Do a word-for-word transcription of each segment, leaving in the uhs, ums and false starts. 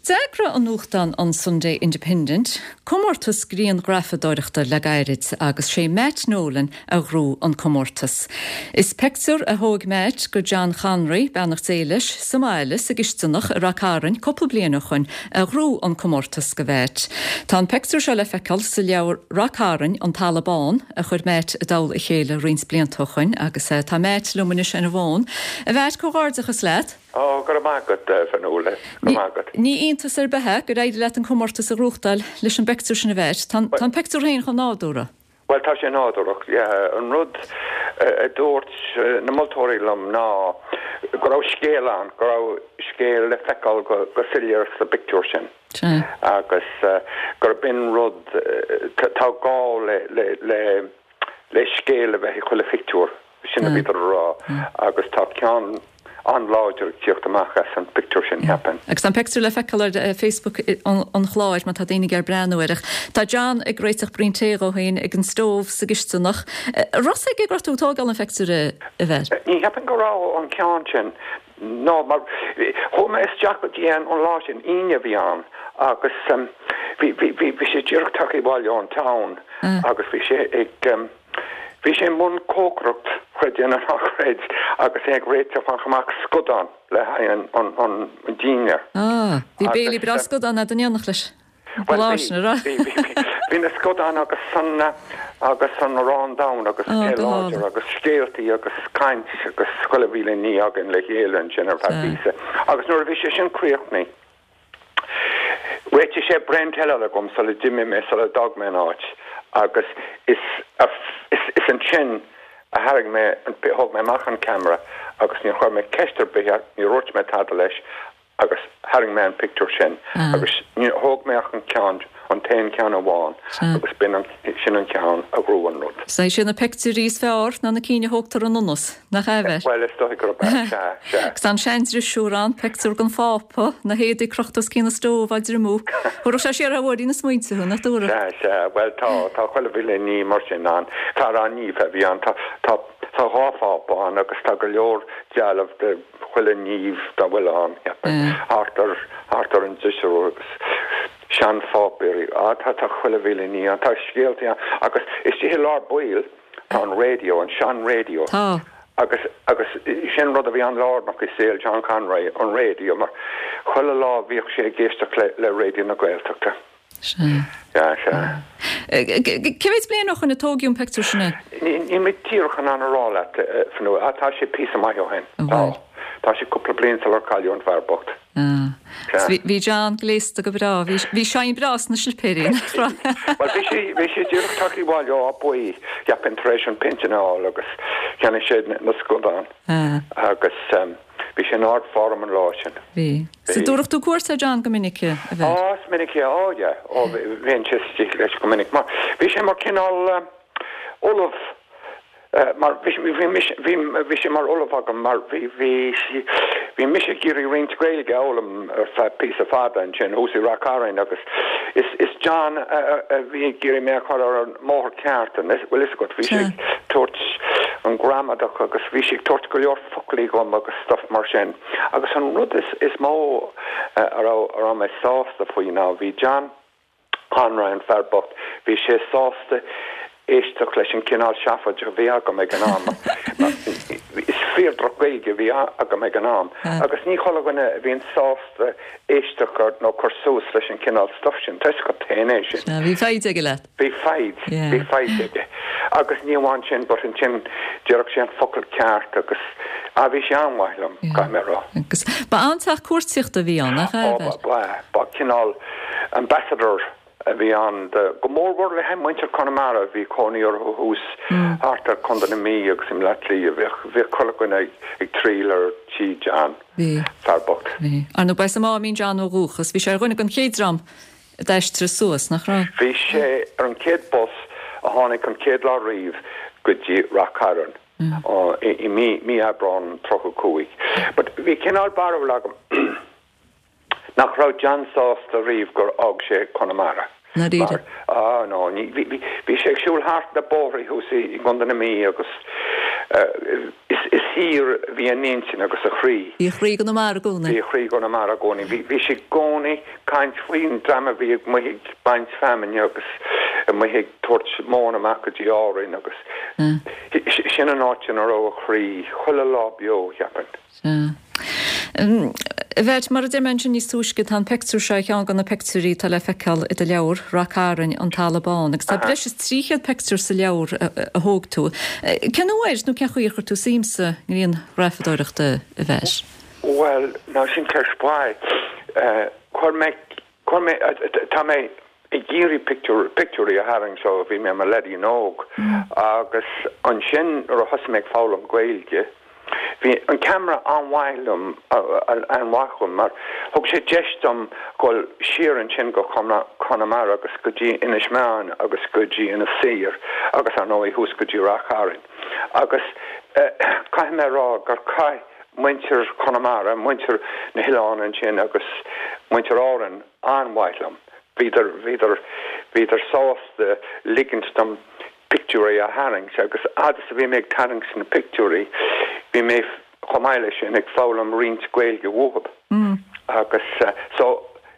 D'eagraigh an nuachtán an Sunday Independent comórtas grianghrafadóireachta le gairid agus sé Matt Nolan a ghnóthaigh an comórtas. Is pictiúr a thóg Matt de John Conroy beannacht Dé leis sa mbaile sa gcisteanach i Ráth Cairn cúpla bliain ó shin a ghnóthaigh an comórtas do Mhatt. Tá an pictiúr seo le feiceáil sa leabhar Ráth Cairn an Talamh Bán a chuir Matt i dtoll a chéile roinnt blianta ó shin agus eh, tá Matt liom anois ar an bhfón. A Mhatt comhghairdeachas leat? Ó go maith agat Fionnuala go maith agat. Ní iontas ar bith é gur éirigh leat an comórtas a ghnóthachtáil leis an bpictiúr sin a bheith. Tá an pictiúr féin chomh nádúrtha. Well tá sé nádúrtha an rud a dúirt na moltóirí liom ná go raibh scéal ann go raibh scéal le feiceáil go go soiléir sa bpictiúr sin. agus gur b'in rud tá gá le le le le scéal a bheith i chuile phictiúr sin a bhí rá agus tá ceann an-láidir teacht amach as an pictiúr sin cheapfainn. Agus an pictiúr le feiceáil ar eh, Facebook an chláir má tá daoine ag breathnú air. Tá John ag réiteach braon tae dó féin ag an stove sa gcisteanach. Raibh ag go tú tógáil an phictiúr a bheith. Ní cheapaim go raibh an ceann sin No mar chuaigh mé isteach go dtí an lá sin Aoine bhí ann agus bhí bhí sé díreach tagtha abhaile ón town agus bhí sé ag Bhí sé mbun cócaireacht creid é nó ná creid agus é ag réiteach amach scadán le haghaidh an an dinnéar. Ah, bhí béilí breá scadán a dhéanamh leis. Bhí na scadáin agus san agus an arán donn agus láidir agus scéaltaí agus caint agus chuile mhíle ní againn le chéile ansin ar feadh píosa. Agus nuair a bhí sé sin críochnaithe. Réitigh sé braon tae eile agam sula d'imigh mé sula d'fhág mé an áit agus is is is ansin a tharraing mé thóg mé amach an camera agus ní chuir mé ceist ar bith ní dúirt mé tada leis agus tharraing mé an pictiúr sin agus ní thóg mé ach an ceann an t-aon ceann amháin agus b'in sin an ceann a ghnóthaigh an rud. Sé sin na pictiúirí is fearr ná na cinn a thógtar in ionnas nach ea. Well is dóigh gurb Agus an seandrisiúr an pictiúr den phápa na héadaí crochta os cionn an stove á dtriomú. Chuir sé siar bhí na smaointe na dúra. Well tá tá chuile mhíle ní mar sin ann tá an ní a bhí an tá tá tá dhá phápa ann agus tá go leor dealbh de chuile naomh dá bhfuil ann thart ar thart ar an drisiúr agus seanpháipéirí á tá tá chuile mhíle ní an tá scéalta agus istigh i lár baill tá an radio an sean radio. Tá. agus agus sin rud a bhí an-lárnach i saol John Conroy an radio mar chuile lá bhíodh sé ag éisteacht le le Raidió na Gaeltachta. Sé. Ja sé. Cé mhéad bliain ó shin a tógadh an pictiúr sin? Ní mé díreach an an rá leat fanu tá sé píosa maith ó shin. Tá Tá sé cúpla bliain sular cailleadh an fear bocht. Bhí John gléasta go breá, bhí sé breá sna slipéirí. Well bhí sé bhí sé díreach tagtha abhaile ó Abaí cheapfainn tar éis an pinsean a fháil agus cheannaigh sé na scadáin agus bhí sé in ardform an lá sin. Bhí. Sa dtabharfadh tú cuairt ar John go minic a bheith? Á is minic é á ó bhíonn sé istigh leis go minic mar bhí sé mar cineál ollamh mar bhí bhí sé mar ollamh agam mar bhí bhí bhí mise ag iarraidh roinnt Gaeilge a fhoghlaim ar feadh píosa fada ansin thuas i Ráth Cairn agus is is John a bhí ag iarraidh mé a chur ar an mbóthar ceart an bhfuil fhios agat bhí sé ag tabhairt an gramadach agus bhí sé ag tabhairt go leor foclaí dhom agus stuff mar sin agus an rud is is mó a raibh a raibh mé sásta faoi ná bhí John Conroy an fear bocht bhí sé sásta éisteacht leis an cineál seafóid a bhí agam ag an am. Is fíor droch-Ghaeilge a bhí agam ag an am agus ní chuile dhuine a bhíonn sásta éisteacht ar nó cur suas leis an cineál stuff sin Tá go féin é sin. Bhí foighid aige leat. Bhí foighid bhí foighid aige agus ní amháin sin but ansin déarfadh sé an focal ceart agus a bhí sé an-mhaith liom caithfidh mé rá. Agus ba an-teach cuartaíochta a bhí ann nach ea? Ba ba cineál ambassador a bhí ann go mórmhór le muintir Chonamara bhí cónaí orthu thuas thart ar Chontae na Mí agus i mBleá Cliath bheadh bheadh chuile dhuine ag triall ar tí John fear bocht. Ar ndóigh ba as an Máimín John ó dhúchas, bhí sé ar dhuine den chéad dream a d'aistrigh suas nach raibh? Bhí sé ar an chéad bus a tháinig an chéad lá riamh go dtí Ráth Cairn i mí mí Aibreán tríocha cúig. But bhí cineál barúil agam nach raibh John sásta riamh gur fhág sé Conamara. Mar ah no ní bhí sé ag siúl thart na bóithre thuas i gContae na Mí agus Is is thiar a bhí a intinn agus a chroí. Bhí a chroí i gConamara i gcónaí. Bhí a chroí i gConamara i gcónaí. Bhí bhí sé i gcónaí ag caint faoin dream a bhí amuigh ag baint feamainne agus amuigh ag tabhairt móna amach go dtí Árainn agus sin an áit ina raibh a chroí chuile lá beo, cheapfainn. Sea. A Mheait, mar a deir mé ansin níos túisce, tá an pictiúr seo ar cheann de na pictiúirí atá le feiceáil i do leabhar, Ráth Cairn, An Talamh Bán, agus tá breis is trí chéad pictiúr sa leabhar a thóg tú. Cén uair nó cén chaoi ar chuir tú suim sa ngrianghrafadóireacht, a Mheait? Bhuel, now sin ceist mhaith. Chuir mé, chuir mé, tá mé ag iarraidh pictiúr, pictiúirí a tharraingt ó bhí mé i mo leaidín óg agus ansin nuair a thosaigh mé ag foghlaim Gaeilge, Bhí an ceamara an-mhaith liom, an-mhaith dhom mar thug sé deis dom dhul siar ansin go Conamara agus go dtí Inis Meáin agus go dtí Inis Oírr agus ar ndóigh thuas go dtí Ráth Chairn. Agus caithfidh mé a rá gur chaith muintir Chonamara, muintir na hoileán ansin agus muintir Árann an-mhaith liom. Bhíodar, bhíodar, bhíodar sásta ligint dom pictiúirí a tharraingt agus fhad is a bhí mé ag tarraingt na pictiúirí bhí mé chomh maith leis sin ag foghlaim roinnt Gaeilge uathub agus so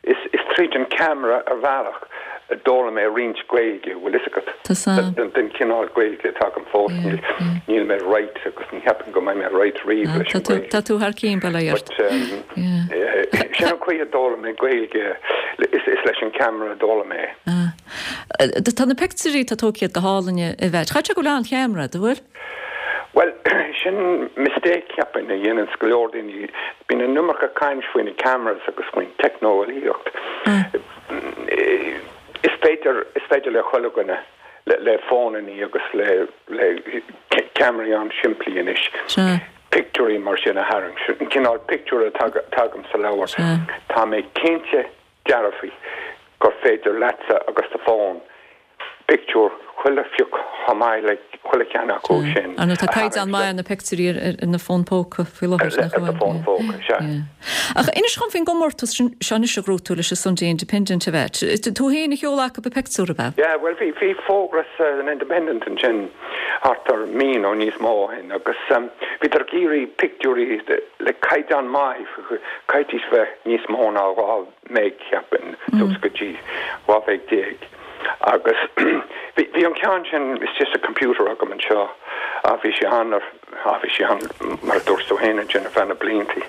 is is tríd an ceamara ar bhealach a d'fhoghlaim mé roinnt Gaeilge, bhfuil fhios agat, den den chineál Gaeilge atá agam fós, níl níl mé right agus ní cheapaim go mbeidh mé right riamh leis an Ghaeilge. Tá tú thar cionn, bail ó Dhia ort. But sin an chaoi a d'fhoghlaim mé Gaeilge, is is leis an ceamara a d'fhoghlaim mé é. Tá na pictiúirí atá tógtha go hálainn a Mheait. Chaithfeadh sé go bhfuil an-cheamara agat, an bhfuil? Bhuel, sin mistake, cheapfainn, a dhéananns go leor daoine. Bíonn an iomarca caint faoi na cameras agus faoin teicneolaíocht. Is féidir, is féidir le chuile dhuine, le, le fónannaí agus le, le ceamaraí an-simplí anois, pictiúirí mar sin a tharraingt. An cineál pictiúr atá agam sa leabhar, tá mé cinnte dearfa gur féidir leatsa agus do fón pictiúr chuile phioc chomh maith le chuile cheann acu sin a Tá caighdeán maith ar na pictiúirí ar na fóin póca faoi láthair, nach bhfuil? Ar na fóin phóca, sea. Ach inis dhom faoin gcomórtas seo anois a ghnóthaigh tú leis an Sunday Independent, a Mheait. Tú féin a sheol chucu an pictiúr, ab ea? Yeah, bhuel bhí bhí fógra san Independent ansin thart ar mí nó níos mó ó shin agus bhíodar ag iarraidh pictiúirí le caighdeán maith, caithfidís bheith níos mó ná dhá meg, cheapfainn, suas go dtí dhá mheg déag. Agus bhí, bhí an ceann sin istigh sa computer agam anseo, ah bhí sé ann ar, ah bhí sé ann mar a dúirt tú féin ansin ar feadh na bliantaí.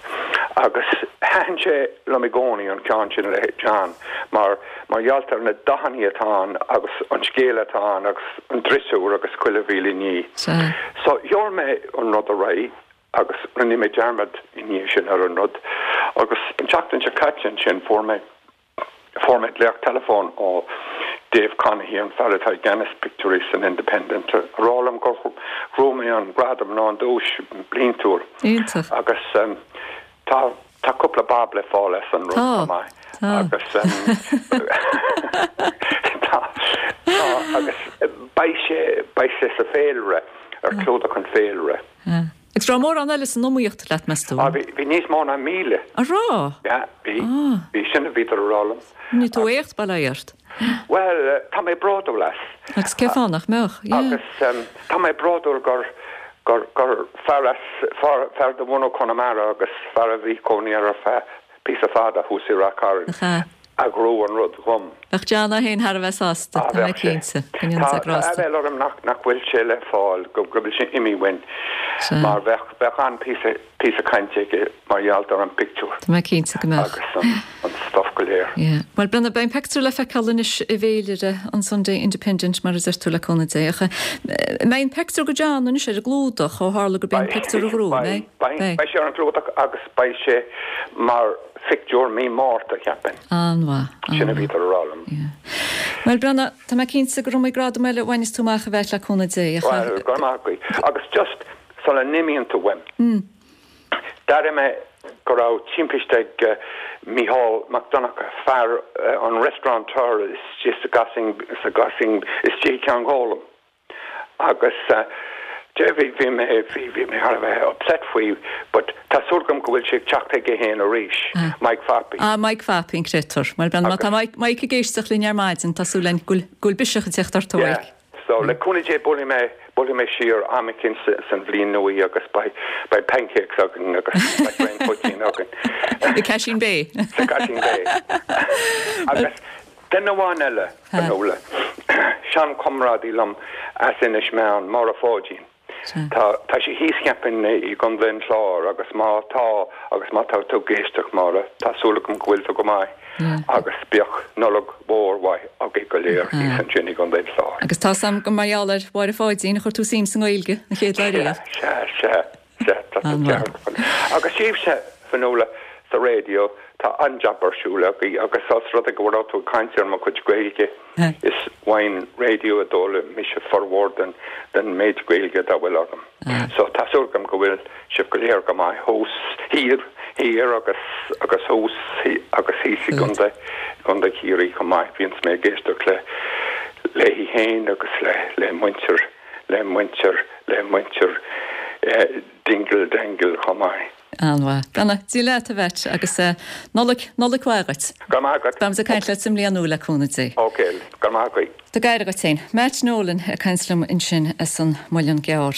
Agus thaitin sé liom i gcónaí an ceann sin le John mar, mar gheall ar na dathannaí atá ann agus an scéal atá ann agus an driosúr agus chuile mhíle ní. So sheol mé an rud ar aghaidh agus rinne mé dearmad i ndiaidh sin ar an rud agus an tseachtain seo caite ansin fuair mé fuair mé glaoch teileafóin ó Dave Conaghy, an fear atá i gceannas pictiúirí san Independent, a rá liom gur ghnóthaigh mé an gradam nó an duais bliantúil. Iontach. Agus tá tá cúpla bob le fáil as an rud chomh maith. Tá. Agus tá tá agus beidh sé beidh sé sa féilire ar chlúdach an féilire. Agus raibh mórán eile san iomaíocht leat, meas tú? Ah, bhí, bhí níos mó ná míle. An raibh? Yeah, bhí. Ah. Bhí, sin a bhíodar a rá liom. Rinne tú éacht, bail ó Dhia ort. Bhuel, tá mé bródúil as. Agus cén fáth nach mbeadh? Yeah. Agus um, tá mé bródúil gur, gur, gur fear as, fear, fear de bhunadh Chonamara agus fear a bhí cónaí air ar feadh píosa fada thuas i Ráth Cairn. Nach ea? A ghnóthaigh an rud dhom. Bheadh John é féin thar a bheith sásta, Ah, tá mé bheadh sé. cinnte, go ndéana Tá, sé tá grásta. aiféala orm nach, nach bhfuil sé le fáil, go, go bhfuil sé imithe uainn, Sea. mar bheadh, bheadh an-phíosa, píosa cainte aige mar gheall ar an bpictiúr Tá mé cinnte go mbeadh. agus an, an stuff go léir. Yeah. Bhuel, Brenna, beidh an pictiúr le feiceáil anois i bhféilire an Sunday Independent, mar a deir tú le cúnamh Dé. Ach, eh, mbeidh an pictiúr go John anois ar an gclúdach, ó tharla gurb é an Beidh, pictiúr a ghnóthaigh, beidh, mbeidh? beidh, Beidh. beidh sé ar an gclúdach agus beidh sé mar phictiúr mí Márta, cheapfainn. An-mhaith, Sin a an-mhaith. bhíodar a rá liom. Yeah. Bhuel, Brenna, tá mé cinnte gur iomaí gradam eile a bhainfeas tú amach a bheith le cúnamh Dé, ach Bhuel, go raibh maith agat. Agus just sula n-imíonn tú uaim, d'airigh mé go raibh timpiste ag Mícheál Mac Donncha, fear an restaurateur istigh sa gCaisín, sa gCaisín istigh i gCeann Gólaim. Agus de bhí bhí mé bhí bhí mé thar a bheith upset faoi but tá súil agam go bhfuil sé ag teacht chuige féin arís, Mike Phappy. Ah, Mike Phappy an créatúr. Bhuel, Brenna, má tá Mike Mike ag éisteacht linn ar maidin, tá súil againn go bhfuil go bhfuil biseach ag teacht ort, a Yeah. Mhike. So le cúnamh Dé buailfidh mé buailfidh mé siar am eicínt san bhliain nua agus beidh beidh pancakes againn agus beidh braon poitín againn. I Casheen Bay. Sa Casheen Bay. Agus duine amháin eile, Fionnuala, seanchomrádaí liom as Inis Meáin, Máire Pháidín. Tá tá sí thíos cheapfainn i gContae an Chláir agus má tá agus má tá tú ag éisteacht Máire, tá súil agam go bhfuil tú go maith agus bíodh Nollaig mhór mhaith agaibh go léir thíos ansin i gContae an Chláir. Agus tá 's a'm gur mar gheall ar Mháire Pháidín a chuir tú suim sa nGaeilge an chéad lá riamh. Sea, sea, sea, tá tú ceart. Agus sibhse, Fionnuala, sa raidió, tá an-jab ar siúl agaibh agus os rud é go raibh tú ag caint ar mo chuid Gaeilge, Is ón raidió a d'fhoghlaim mise formhór den den méid Gaeilge dá bhfuil agam. So tá súil agam go bhfuil sibh go léir go maith thuas thiar thiar agus agus thuas agus thíos i gContae gContae Chiarraí chomh maith. Bíonns mé ag éisteacht le léi féin agus le le muintir le muintir le muintir Dingle Dangle chomh maith. An-mhaith. Beannacht Dé leat a Mheait agus Nollaig, Nollaig mhaith dhuit. Go raibh maith agat. Beimid ag caint leat sa mbliain nua le cúnamh Dé. Ok, go raibh maith agat. Tabhair aire dhuit féin. Matt Nolan ag caint liom ansin as an Muileann gCearr.